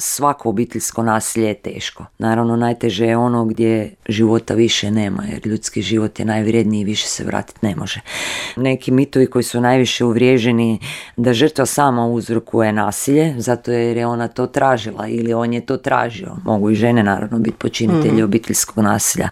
svako obiteljsko nasilje je teško. Naravno, najteže je ono gdje života više nema, jer ljudski život je najvrijedniji i više se vratiti ne može. Neki mitovi koji su najviše uvriježeni da žrtva sama uzrokuje nasilje, zato jer je ona to tražila ili on je to tražio. Mogu i žene naravno biti počinitelji obiteljskog nasilja.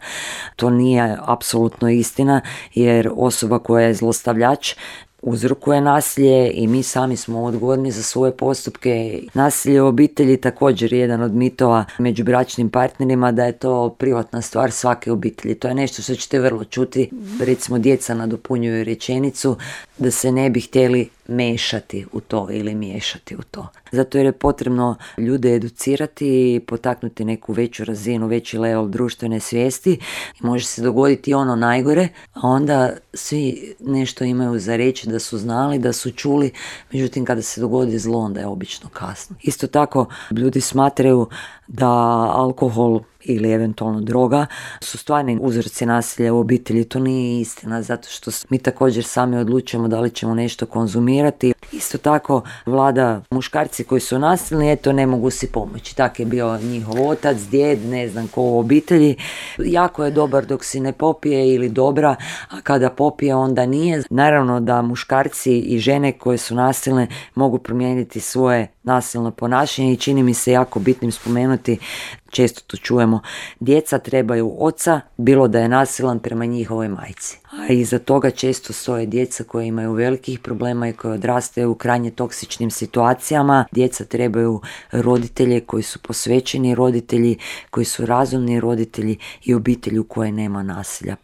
To nije apsolutno istina, jer osoba koja je zlostavljač uzrokuje nasilje i mi sami smo odgovorni za svoje postupke. Nasilje u obitelji također je jedan od mitova među bračnim partnerima, da je to privatna stvar svake obitelji. To je nešto što ćete vrlo čuti. Recimo, djeca nadopunjuju rečenicu da se ne bi htjeli mešati u to ili miješati u to. Zato jer je potrebno ljude educirati i potaknuti neku veću razinu, veći level društvene svijesti. I može se dogoditi ono najgore, a onda svi nešto imaju za reći, da su znali, da su čuli, međutim kada se dogodi zlo, onda je obično kasno. Isto tako, ljudi smatraju da alkohol ili eventualno droga su stvarni uzroci nasilja u obitelji. To nije istina, zato što mi također sami odlučujemo da li ćemo nešto konzumirati. Isto tako vlada muškarci koji su nasilni, eto, ne mogu si pomoći. Tak je bio njihov otac, djed, ne znam ko u obitelji. Jako je dobar dok si ne popije ili dobra, a kada popije onda nije. Naravno da muškarci i žene koje su nasilne mogu promijeniti svoje nasilno ponašanje i čini mi se jako bitnim spomenuti, često to čujemo, djeca trebaju oca, bilo da je nasilan prema njihovoj majci. A iza toga često stoje djeca koje imaju velikih problema i koje odrastaju u krajnje toksičnim situacijama. Djeca trebaju roditelje koji su posvećeni roditelji, koji su razumni roditelji i obitelji u kojoj nema nasilja.